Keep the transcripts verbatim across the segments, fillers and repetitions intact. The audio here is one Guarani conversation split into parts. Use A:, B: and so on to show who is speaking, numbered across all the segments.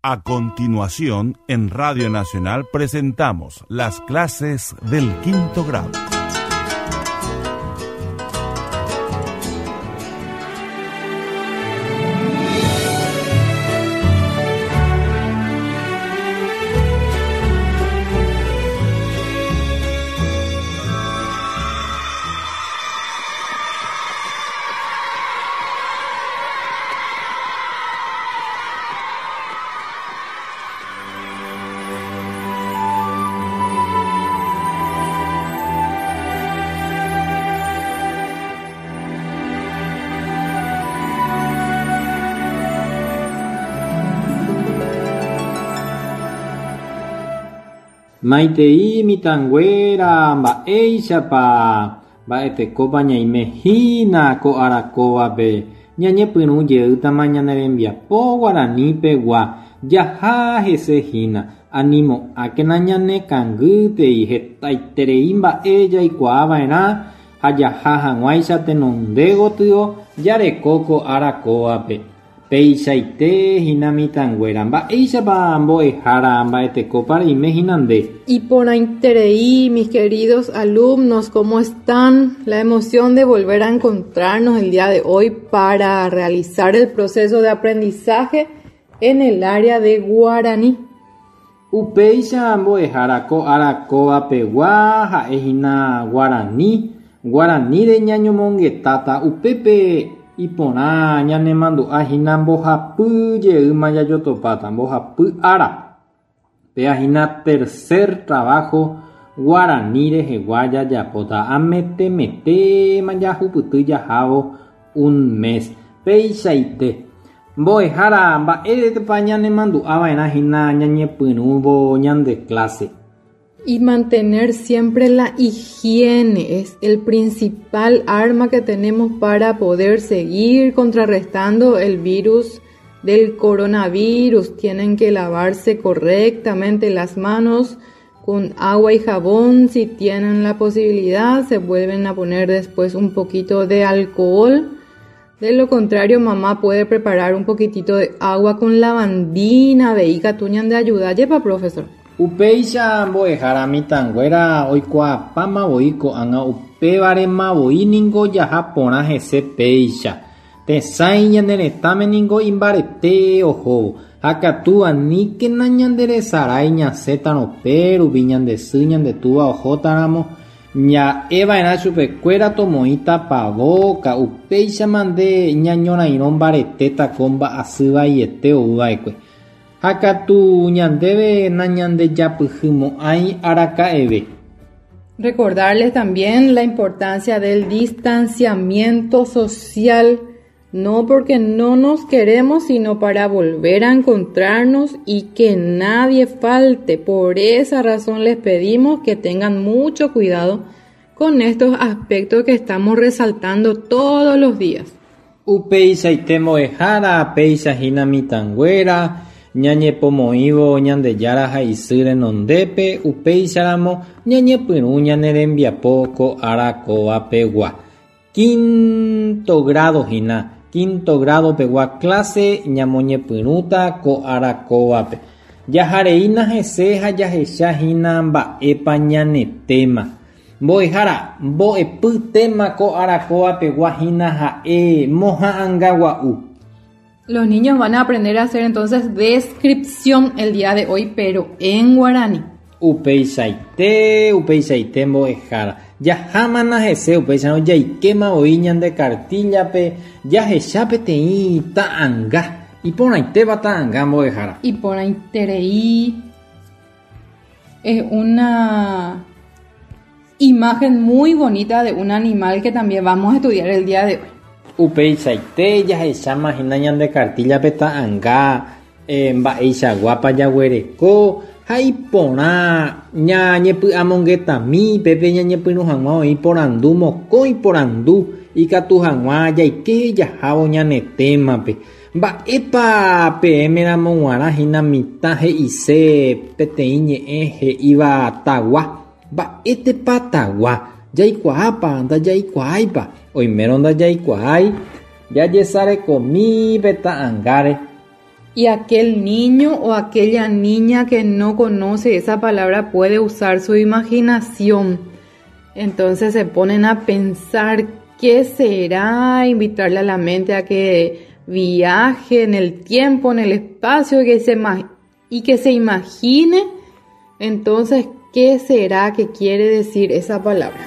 A: A continuación, en Radio Nacional presentamos las clases del quinto grado.
B: Maitei mitãnguéra mba'éichapa mba'etekópa ñaime hína ko arakóvape ñañepyrũ jeýtama ñane rembiapo guaranipegua jaha hese hína animo'ãkena ñanekangýtei hetaiterei mba'e jaikuaava'erã ha jaha hag̃uáicha tenonde gotyo jareko ko arakóvape peichaite hína mitãnguéra mba'éichapa mbo'ehára mba'etekópa reime hína nde.
C: Iporãiterei, mis queridos alumnos, ¿cómo están? La emoción de volver a encontrarnos el día de hoy para realizar el proceso de aprendizaje en el área de guaraní.
B: Upéicha mbo'ehára ko arakóvapegua ha'ehína guarani guaraníre ñañomongetáta upépe iporã ñanemandu'ahína mbohapy jeýma jajotopáta mbohapy ára péa hína tercer trabajo guarani rehegua jajapóta ametemetéma jahupyty jahávo un mes peichaite mbo'ehára mba'éretepa ñanemandu'ava'erã hína ñañepyrũvo ñande clase.
C: Y mantener siempre la higiene es el principal arma que tenemos para poder seguir contrarrestando el virus del coronavirus. Tienen que lavarse correctamente las manos con agua y jabón. Si tienen la posibilidad, se vuelven a poner después un poquito de alcohol. De lo contrario, mamá puede preparar un poquitito de agua con lavandina. Veí katu ñande ayuda. Lleva, profesor.
B: Upéicha mbo'ehára mitãnguéra oikuaapáma voi ko'ág̃a upévarema voi ningo jaha porã hese péicha tesãi ñane retãme ningo imbarete ohóvo ha katu aníkena ñanderesarái ñasẽtarõ pérupi ñande sy ñande túva ohótaramo ña'eva'erã chupekuéra tomoĩ tapavóka upéichama nde ñañorairõ mbaretéta ko mba'asy vaiete ouva'ekue ha katu ñandéve nañandejapyhymo'ãi araka'eve.
C: Recordarles también la importancia del distanciamiento social, no porque no nos queremos, sino para volver a encontrarnos y que nadie falte. Por esa razón les pedimos que tengan mucho cuidado con estos aspectos que estamos resaltando todos los días.
B: Upeichaite mbo'ehára péicha hína mitãnguéra ñañepomoĩvo Ñandejára ha isy renondépe upéicharamo ñañepyrũ ñane rembiapo ko ára kóvapegua. Quinto grado hína, quinto grado pegua clase ñamoñepyrũta ko ára kóvape. Jahareína hese ha jahechahína mba'épa ñane tema. Mbo'ehára mbo'epy tema ko ára kóvapegua hína ha'e moha'ãngagua'u.
C: Los niños van a aprender a hacer entonces descripción el día de hoy, pero en guaraní.
B: Upeichaite, upeichaite mbo'ehára. Jahámana hese upéicharõ jaikéma voi ñande cartillape jahecha peteĩ ta'ãnga iporãitéva ta'ãnga mbo'ehára.
C: Iporãiterei es una imagen muy bonita de un animal que también vamos a estudiar el día de hoy.
B: Upeichaite jahecháma hína ñande cartillape ta'ãnga eh, mba'eichaguápa jaguereko ha iporã ñañepy'amongetami pépe ñañepyrũ hag̃ua oĩ porandu mokõi porandu ikatu hag̃ua jaike jahávo ñane témape. Mba'épa peẽmeramo g̃uarã hína mitã he'ise peteĩ ñe'ẽ he'íva tagua. Mba'étepa tagua jaikuaápa ndajaikuaáipa oimérõ ndajaikuaái jajesarekomi pe ta'ãngáre.
C: Y aquel niño o aquella niña que no conoce esa palabra puede usar su imaginación. Entonces se ponen a pensar qué será, invitarle a la mente a que viaje en el tiempo, en el espacio, que se y que se imagine entonces qué será que quiere decir esa palabra.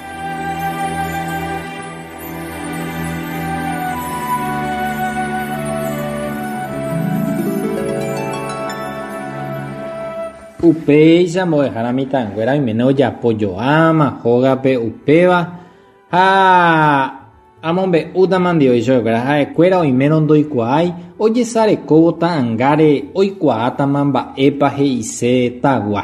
B: Upéicha mbo'ehára mitãnguéra oiméne ojapojoáma hógape upéva ha amombe'útama ndive chupekuéra ha'ekuéra oimérõ ndoikuaái ojesarekóvo ta'ãngáre oikuaátama mba'épa he'ise tagua.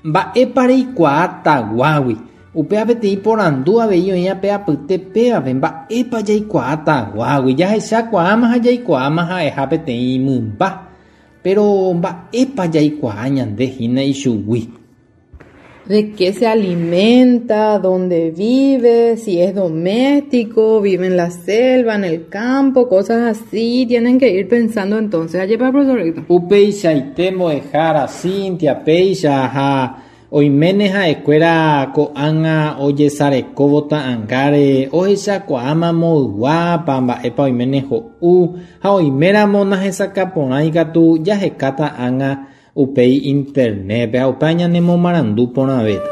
B: Mba'épa reikuaa taguágui upéva peteĩ porandu avei oĩ ape apytépévape mba'épa jaikuaa taguágui jahechakuaáma ha jaikuaáma ha'eha peteĩ mymba. Pero mba'épa jaikuaa ñande hína ichugui.
C: ¿De qué se alimenta? ¿Dónde vive? Si es doméstico, vive en la selva, en el campo, cosas así. Tienen que ir pensando entonces. Ajepa, profesor Héctor.
B: Upeichaite mbo'ehára Cintia péicha ha oiméne ha'ekuéra ko'ág̃a ojesarekóvo ta'ãngáre ohechakuaáma moyguápa mba'épa oiméne ho'u ha oiméramo nahesakãporãi katu jahekáta ág̃a upéi internet-pe ha upéva ñanemomarandu porãvéta.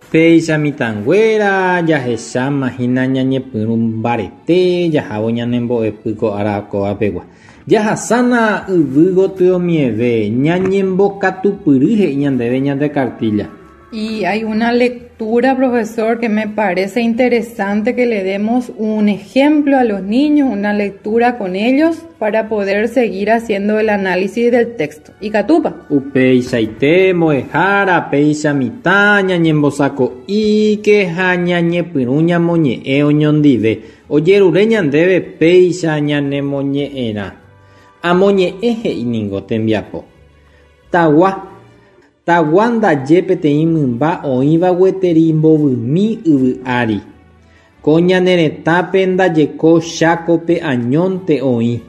B: Péicha mitãnguéra jahecháma hína ñañepyrũ mbarete jahávo ñanembo'epy ko ára ko'ápegua. Jahasána yvy gotyomieve ñañembokatupyry he'i ñandéve ñande cartilla.
C: Y hay una lectura, profesor, que me parece interesante que le demos un ejemplo a los niños, una lectura con ellos para poder seguir haciendo el análisis del texto. Y Catupa.
B: Upeichaite mbo'ehára péicha mitã ñañembosako'íke ha ñañepyrũ ñamoñe'ẽ oñondive. Ojerure ñandéve péicha ñanemoñe'ẽrã. Amoñe'ẽ he'i ningo tembiapo. Tagua. Tagua ndaje peteĩ mymba oĩva gueteri mbovymi yvy ári. Ko ñane retãpe ndajeko Chákope añónte oĩ,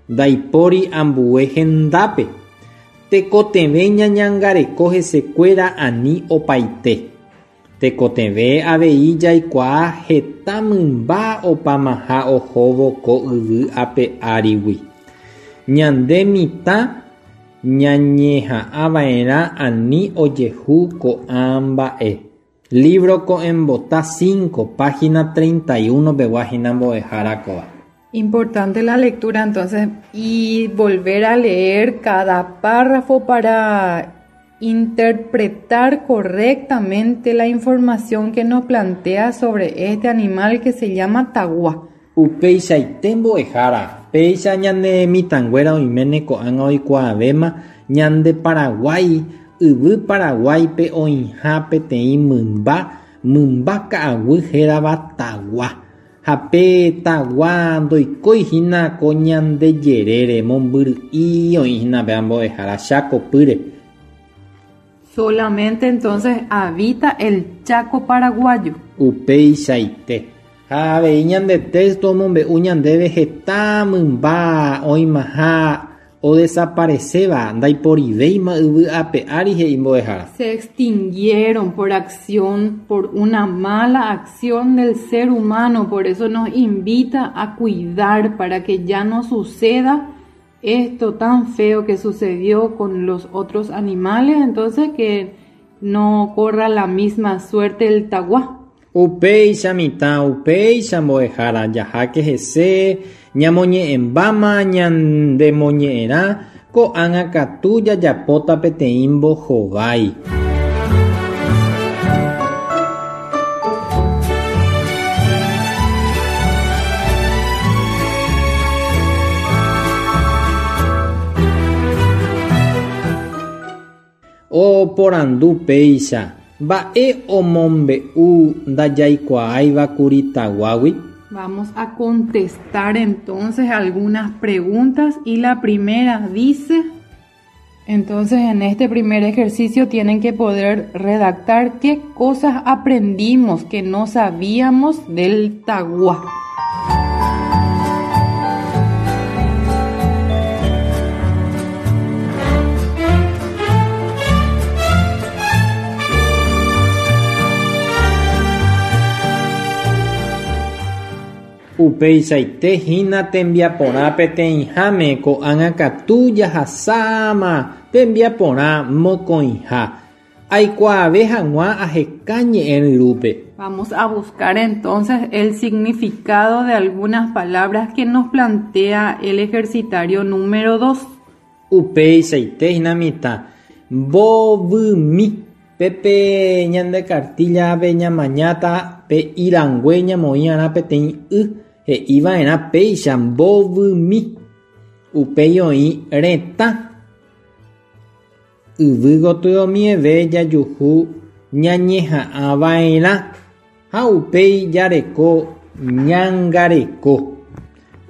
B: ndaipóri ambue hendápe. Tekotevẽ ñañangareko hesekuéra ani opaite. Tekotevẽ avei jaikuaa heta mymba opamaha ohóvo ko yvy ape árigui. Ñande mitã ñañeha'ãva'erã ani ojehu ko'ã mba'e. Libro Ko'ẽmbota cinco, página treinta y uno pegua hína mbo'ehára kóva.
C: Importante la lectura entonces y volver a leer cada párrafo para interpretar correctamente la información que nos plantea sobre este animal que se llama tagua.
B: Upeichaite mbo'ehára. Péicha ñane mitãnguéra oiméne ko'ág̃a oikuaavéma ñande Paraguái yvy Paraguáipe oĩha peteĩ mymba mymba ka'aguy hérava tagua. Ha pe tagua ndoikói hína ko ñande jerére mombyry'i oĩ hína péva mbo'ehára Chákopýre.
C: Solamente entonces habita el Chaco paraguayo.
B: Upeichaite. Ha avei ñande texto omombe'u ñandéve heta mymba oĩmaha odesaparecéva ndaiporivéima yvy ape ári he'i mbo'ehára.
C: Se extinguieron por acción, por una mala acción del ser humano, por eso nos invita a cuidar para que ya no suceda esto tan feo que sucedió con los otros animales, entonces que no corra la misma suerte el tagua.
B: Upéicha mitã, upéicha mbo'ehára jaháke hese ñamoñe'ẽmbáma ñandemoñe'ẽrã ko'ág̃a katu jajapóta peteĩ mbohovái. Oporandu péicha mba'e omombe'u ndajaikuaáivakuri taguágui.
C: Vamos a contestar entonces algunas preguntas y la primera dice... Entonces en este primer ejercicio tienen que poder redactar qué cosas aprendimos que no sabíamos del taguá.
B: Upeichaite hína tembiaporã peteĩháme ko'ág̃a katu jahasáma tembiaporã mokõiha. Aikuaave hag̃ua aheka ñe'ẽryrúpe.
C: Vamos a buscar entonces el significado de algunas palabras que nos plantea el ejercitario número dos.
B: Upeichaite hína mitã. Mbovymi. Pepe ñande cartilla-pe ñamañáta pe irangue ñamoĩ'arã peteĩ y he'iva'erã péicha mbovymi. Upéi oĩ retã. Yvy gotyomieve jajuhu ñañeha'ãva'erã ha upéi jareko ñangareko.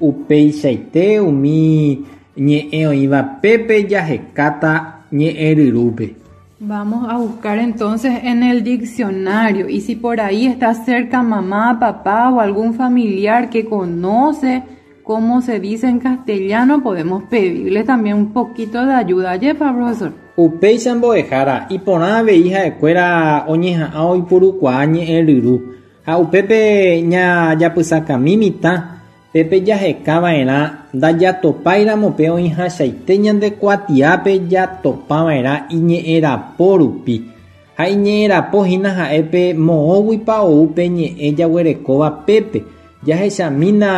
B: Upeichaite umi ñe'ẽ oĩva pépe jahekáta ñe'ẽryrúpe.
C: Vamos a buscar entonces en el diccionario y si por ahí está cerca mamá, papá o algún familiar que conoce cómo se dice en castellano, podemos pedirle también un poquito de ayuda. Yepa, profesor.
B: Upéicha mbo'ehára iporã avei ha'ekuéra oñeha'ã oipurukuaa ñe'ẽryru ha upépe ñajapysakami mitã pépe jahekava'erã ndajatopáiramo pe oĩhachaite ñande kuatiápe jatopava'erã iñe'ẽrapo rupi ha iñe'ẽrapo hína ha'épe moõguipa ou pe ñe'ẽ jaguerekóva pépe jahechamína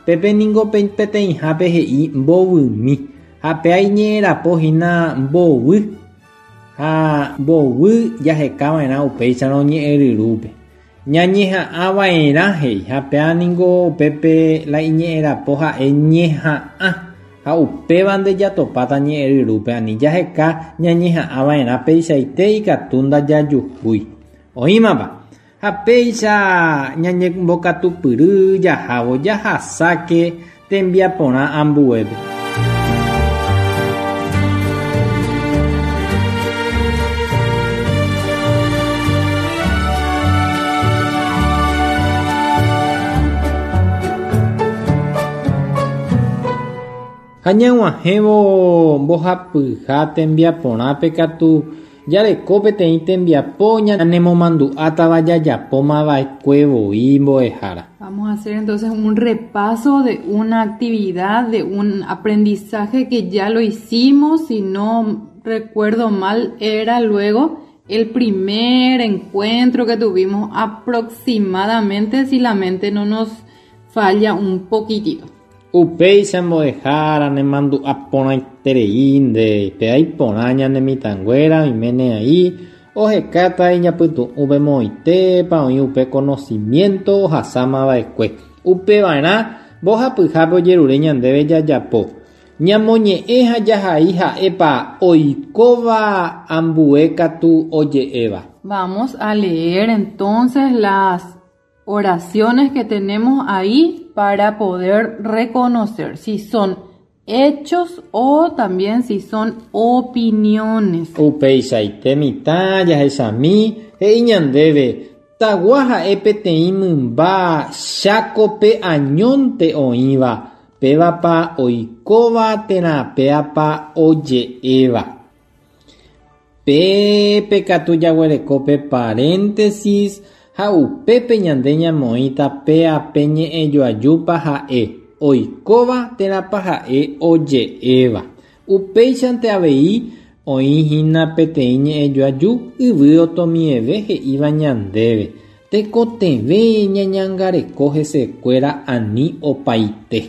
B: pépe ningo peteĩhápe he'i mbovymi ha pe iñe'ẽrapo hína mbovy ha mbovy jahekava'erã upéicharõ ñe'ẽryrúpe. Ñañeha'ãva'erã he'i ha péa ningo pépe la iñe'ẽrapo ha'e ñeha'ã ha upéva nde jatopáta ñe'ẽryrúpe ani jaheka ñañeha'ãva'erã peichaite ikatu ndajajuhúi. Oĩmapa ha péicha ñañembokatupyry jahávo jahasáke tembiaporã ambuépe. Ha ñag̃uahẽvo mbohapyha tembiaporãpe katu jareko peteĩ tembiapo ñanemomandu'átava jajapómava'ekue voi mbo'ehára.
C: Vamos a hacer entonces un repaso de una actividad, de un aprendizaje que ya lo hicimos, si no recuerdo mal, era luego el primer encuentro que tuvimos aproximadamente, si la mente no nos falla un poquitito.
B: Upéicha mbo'ehára nemandu'a porãitereínte pe aiporã ñane mitãnguéra oiméne aí ohekáta iñapytu'ũpe moõitépa oĩ upe conocimiento ohasámava'ekue. Upeva'erã mbohapyhápe ojerure ñandéve jajapo. Ñamoñe'ẽ ha jahai ha'épa oikóva ambue katu oje'éva.
C: Vamos a leer entonces las oraciones que tenemos ahí para poder reconocer si son hechos o también si son opiniones.
B: Upeichaite mitã jahechami he'i ñandéve tagua ha'e peteĩ mymba chákope añónte oĩva pévapa oikóva térã péapa oje'éva. Pépe katu jaguereko pe paréntesis ha upépe ñande ñamoĩta péape ñe'ẽjoajúpa ha'e oikóva térãpa ha'e oje'éva. Upéichante avei oĩhína peteĩ ñe'ẽjoaju yvy otomieve he'íva ñandéve. Tekotevẽ ñañangareko hesekuéra ani opaite.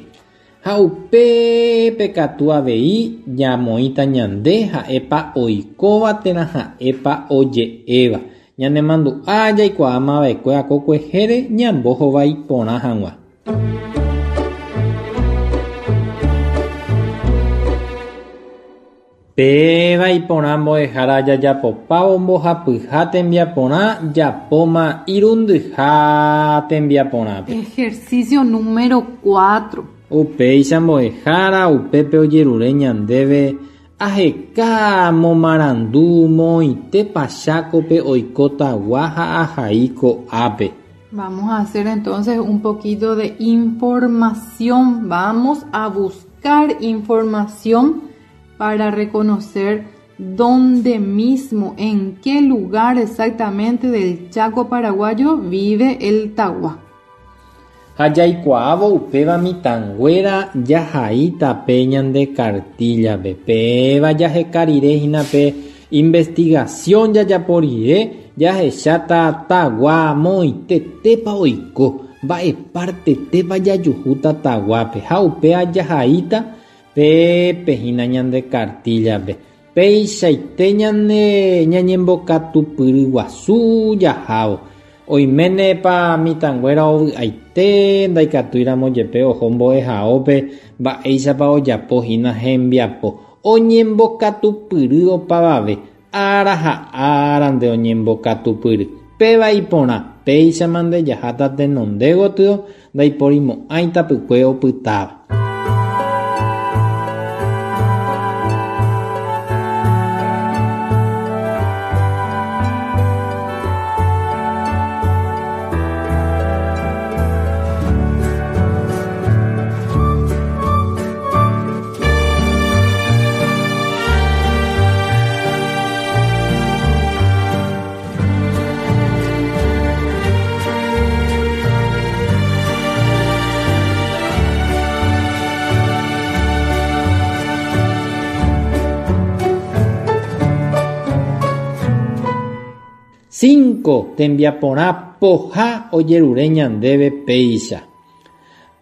B: Ha upépe katu avei ñamoĩta ñande ha'épa oikóva térã ha'épa oje'éva. Ñanemandu'a jaikuaámava'ekue akokuehére ñambohovái porã hag̃ua. Péva iporã mbo'ehára jajapopávo mbohapyha tembiaporã japóma irundyha tembiaporãpe.
C: Ejercicio número cuatro.
B: Upéicha mbo'ehára upépe ojerure ñandéve aheka momarandu moõitépa Chákope oiko tagua ha ahai ko'ápe.
C: Vamos a hacer entonces un poquito de información. Vamos a buscar información para reconocer dónde mismo, en qué lugar exactamente del Chaco paraguayo vive el tagua.
B: Ha jaikuaávo upéva mitãnguéra jahaíta pe ñande cartillape. Péva jaheka rire hína pe investigación jajapo rire jahecháta tagua moõitetépa oiko mba'e partetépa jajuhúta taguápe ha upéva jahaíta pépe hína ñande cartillape. Peichaite ñane ñañembokatupyry guasu jahávo. Oiménepa mitãnguéra ovy'aite ndaikatúiramo jepe oho mbo'ehaópe mba'éichapa ojapo hína hembiapo. Oñembokatupyry opavave ára ha árante oñembokatupyry. Péva iporã péichamante jaháta tenonde gotyo ndaiporimo'ãi tapykue opytáva. Cinco tembiaporã poha ojerure ñandéve péicha.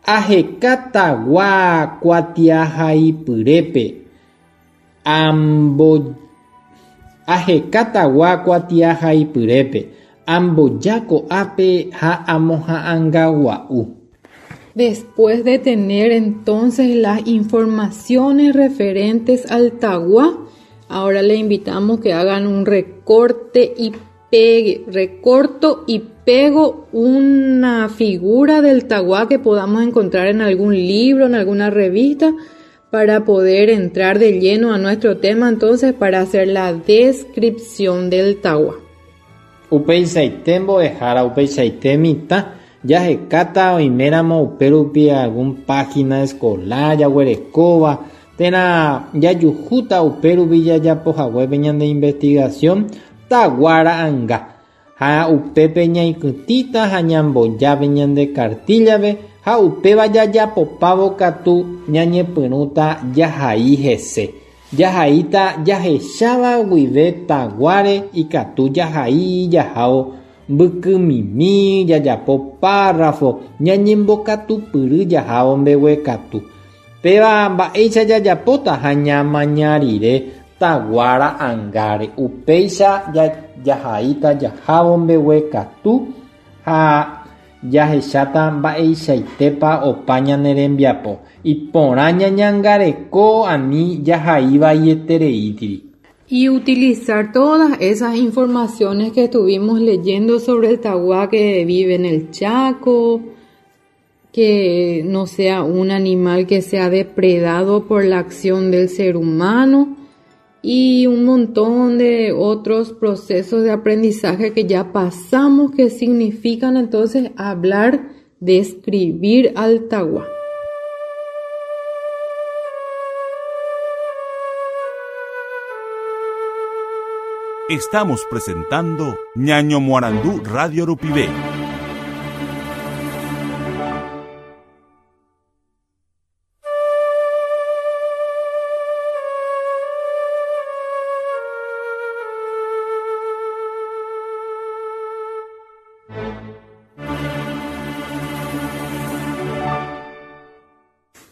B: Aheka tagua kuatiahaipyrépe ambo aheka tagua kuatiahaipyrépe amboja ko'ápe ha amoha'ãngagua'u.
C: Después de tener entonces las informaciones referentes al tagua, ahora le invitamos que hagan un recorte y pegue, recorto y pego una figura del tagua que podamos encontrar en algún libro, en alguna revista, para poder entrar de lleno a nuestro tema, entonces, para hacer la descripción del tagua.
B: Upeichaite mbo'ehára, upeichaite mitã, jahekáta oiméramo upérupi algún página escolar jaguerekóva, térã jajuhúta upérupi jajapohaguépe ñande investigación taguara'anga. Ha upépe ñaikytĩta ha ñambojáve ñande cartillape ha upéva jajapopávo katu ñañepyrũta jahai hese. Jahaíta jahecháva guive taguáre ikatu jahai jahávo mbykymimi jajapo párrafo ñañembokatupyry jahávo mbeguekatu. Péva mba'éicha jajapóta ha ñamaña rire taguara'angáre. Upéicha jahaíta jahávo mbeguekatu ha jahecháta mba'eichaitépa opa ñane rembiapo. Iporã ñañangareko ani jahai vaietereítiri.
C: Y utilizar todas esas informaciones que estuvimos leyendo sobre el tagua que vive en el Chaco, que no sea un animal que sea depredado por la acción del ser humano, y un montón de otros procesos de aprendizaje que ya pasamos, que significan entonces hablar, describir al tagua.
A: Estamos presentando Ñaño Moarandú Radio Rupivé.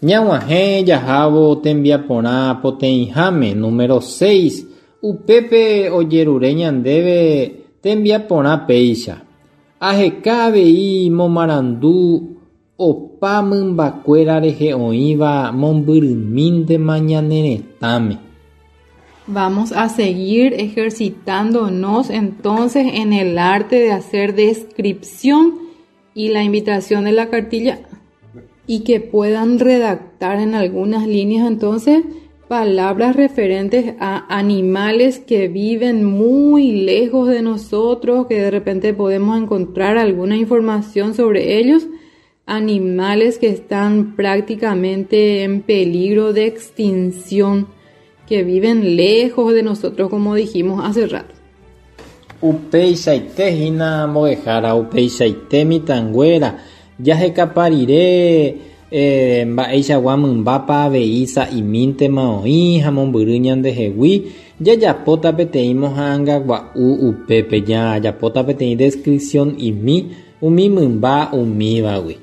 B: Ñag̃uahẽ jahávo tembiaporã poteĩháme número seis upépe ojerure ñandéve tembiaporã péicha. Aheka avei momarandu opa mymbakuéra rehe oĩva mombyrymíntema ñane retãme.
C: Vamos a seguir ejercitándonos entonces en el arte de hacer descripción y la invitación de la cartilla y que puedan redactar en algunas líneas entonces palabras referentes a animales que viven muy lejos de nosotros, que de repente podemos encontrar alguna información sobre ellos, animales que están prácticamente en peligro de extinción, que viven lejos de nosotros, como dijimos hace rato.
B: Upeichaite hína mbo'ehára, upeichaite mitãnguéra, jahekaparire eh, mba'eichagua mymbápa avei sa'imíntema oĩ ha mombyry ñandehegui jajapóta peteĩ moha'ãngagua'u upépe jajapóta peteĩ descripción imi umi mymba umívagui.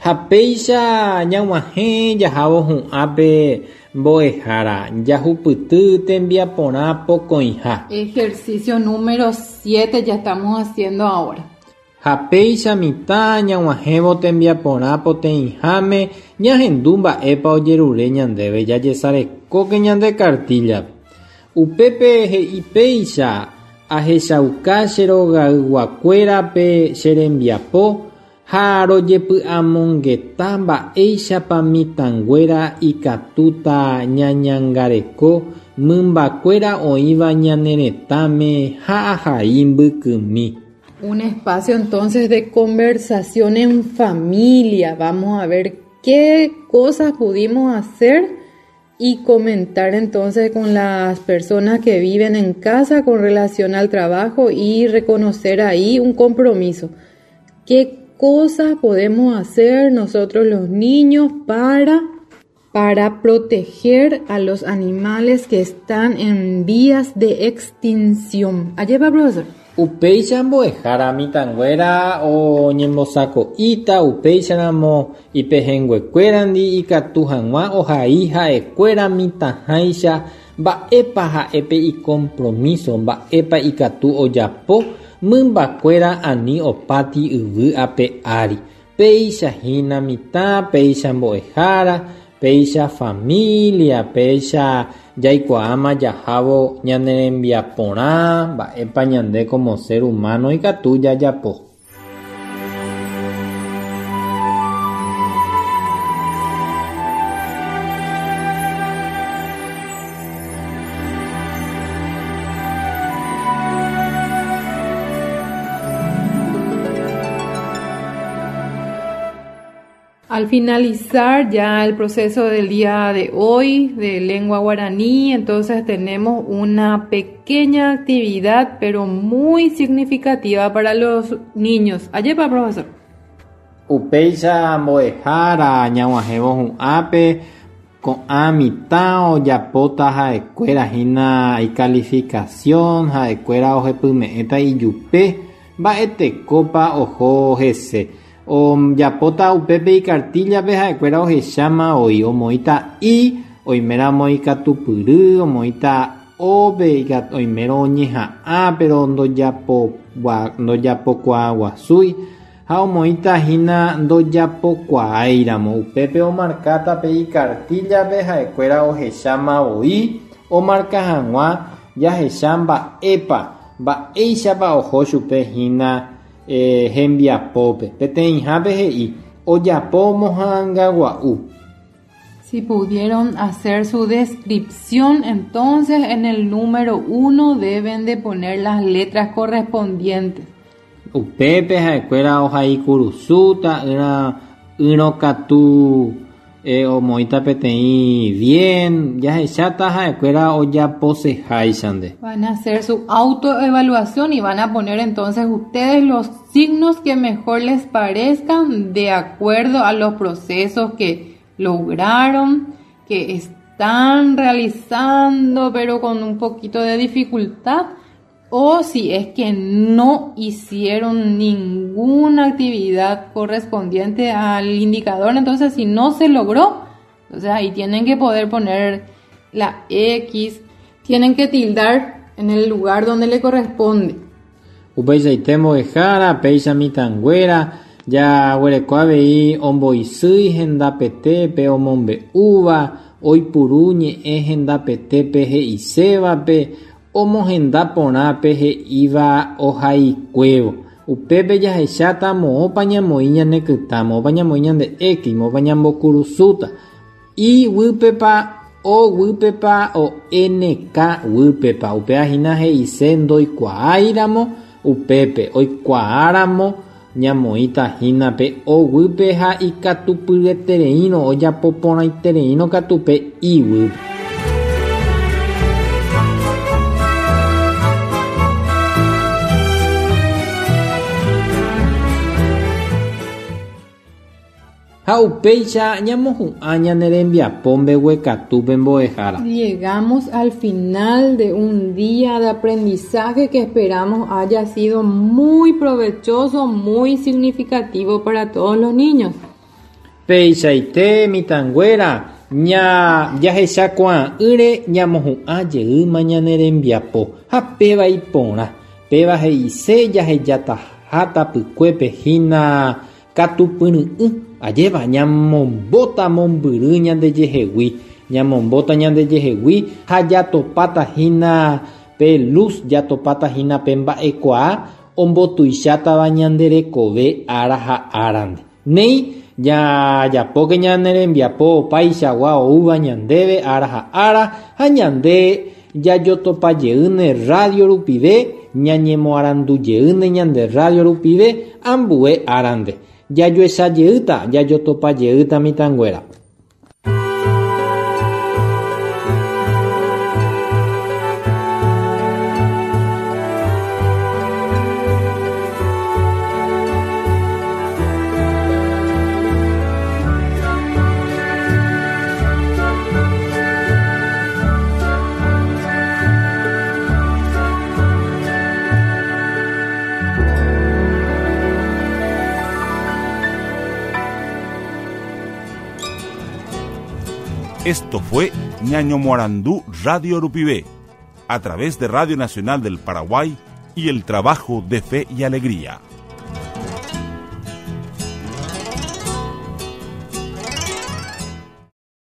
B: Ha péicha ñag̃uahẽ jahávo hu'ãpe mbo'ehára jahupyty tembiaporã pokõiha.
C: Ejercicio número siete ya estamos haciendo ahora.
B: Ha péicha mitã ñag̃uahẽvo tembiaporã poteĩháme ñahendu mba'épa ojerure ñandéve jajesarekóke ñande cartillape. Upépe he'i péicha ahechauka che rogayguakuérape che rembiapo ha rojepy'amongeta mba'éichapa mitãnguéra ikatúta ñañangareko mymbakuéra oĩva ñane retãme ha ahai mbykymi.
C: Un espacio entonces de conversación en familia. Vamos a ver qué cosas pudimos hacer y comentar entonces con las personas que viven en casa con relación al trabajo y reconocer ahí un compromiso. ¿Qué cosas podemos hacer nosotros los niños para, para proteger a los animales que están en vías de extinción? Allí va, profesor.
B: Upéicha mbo'ehára mitãnguéra oñembosako'íta upéicharamo ipehẽnguekuérandi ikatu hag̃ua ohai ha'ekuéra mitãháicha mba'épa ha'épe icompromiso mba'épa ikatu ojapo mymbakuéra ani opáti yvy ape ári. Péicha hína mitã, péicha mbo'ehára, péicha familia, péicha jaikuaáma jahávo ñane rembiaporã mba'épa ñande como ser humano ikatu jajapo.
C: Al finalizar ya el proceso del día de hoy de lengua guaraní, entonces tenemos una pequeña actividad, pero muy significativa para los niños. Ayepa, profesor.
B: Upéicha mbo'ehára ñag̃uahẽvo hu'ãpe ko'ã mitã ojapóta ha'ekuéra hína icalificación, ha'ekuéra ohepyme'ẽta ijupe mba'etekópa oho hese. Ojapóta upépe icartillape ha'ekuéra ohecháma oĩ omoĩta i, oiméramo ikatupyry, omoĩta ópe, oimérõ oñeha'ã pero ndojapokuaaguasúi ha omoĩta hína ndojapokuaáiramo. Upépe omarkáta pe icartillape ha'ekuéra ohecháma oĩ omarka hag̃ua jahecha mba'épa mba'éichapa oho chupe hína Eh, hembiapópe. Peteĩhápe he'i ojapo moha'ãngagua'u.
C: Si pudieron hacer su descripción, entonces en el número uno deben de poner las letras correspondientes.
B: Upépe ha'ekuéra ohaikurusu ta'ýra yrõkatu eh, omoĩta peteĩ bien jahecháta ha'ekuéra ojaposeháichante.
C: Van a hacer su autoevaluación y van a poner entonces ustedes los signos que mejor les parezcan de acuerdo a los procesos que lograron, que están realizando pero con un poquito de dificultad, o si es que no hicieron ninguna actividad correspondiente al indicador. Entonces si no se logró, entonces ahí tienen que poder poner la X, tienen que tildar en el lugar donde le corresponde.
B: Upeichaite mbo'ehára, péicha mitãnguéra, jaguereko avei omboysýi hendapete pe omombe'úva, Oipuru ñe'ẽ hendapete he'isévape omohenda porã pe he'íva ohaikuévo. Upépe jahecháta moõpa ñamoĩ ñane kyta, moõpa ñamoĩ ñande x, moõpa ñambokurusúta. I guýpepa, O guýpepa, o N K guýpepa. Upéva hína he'ise ndoikuaáiramo upépe, oikuaáramo ñamoĩta hína pe O guýpe ha ikatupyryetereírõ ojapo porãitereírõ katu pe I guýpe. Ha upéicha ñamohu'ã ñane rembiapo mbeguekatúpe mbo'ehára.
C: Llegamos al final de un día de aprendizaje que esperamos haya sido muy provechoso, muy significativo para todos los niños.
B: Peichaite mitãnguéra ña jahechakuaa'ỹre ñamohu'ã jeýma ñane rembiapo ha péva iporã péva he'ise jahejataha tapykuépe hína katupyry'ỹ ajéva ñamombóta mombyry ñandejehegui ñamombóta ñandejehegui ha jatopáta hína pe luz jatopáta hína pe mba'ekuaa ombotuichátava ñande rekove ára ha árante. Néi jajapóke ñane rembiapo opaichagua oúva ñandéve ára ha ára ha ñande jajotopajeýne radio rupive ñañemoarandujeýne ñande radio rupive ambue árante. Jajoechajeýta jajotopajeýta mitãnguéra.
A: Esto fue Ñañomoarandú Radio Rupivé, a través de Radio Nacional del Paraguay y el trabajo de Fe y Alegría.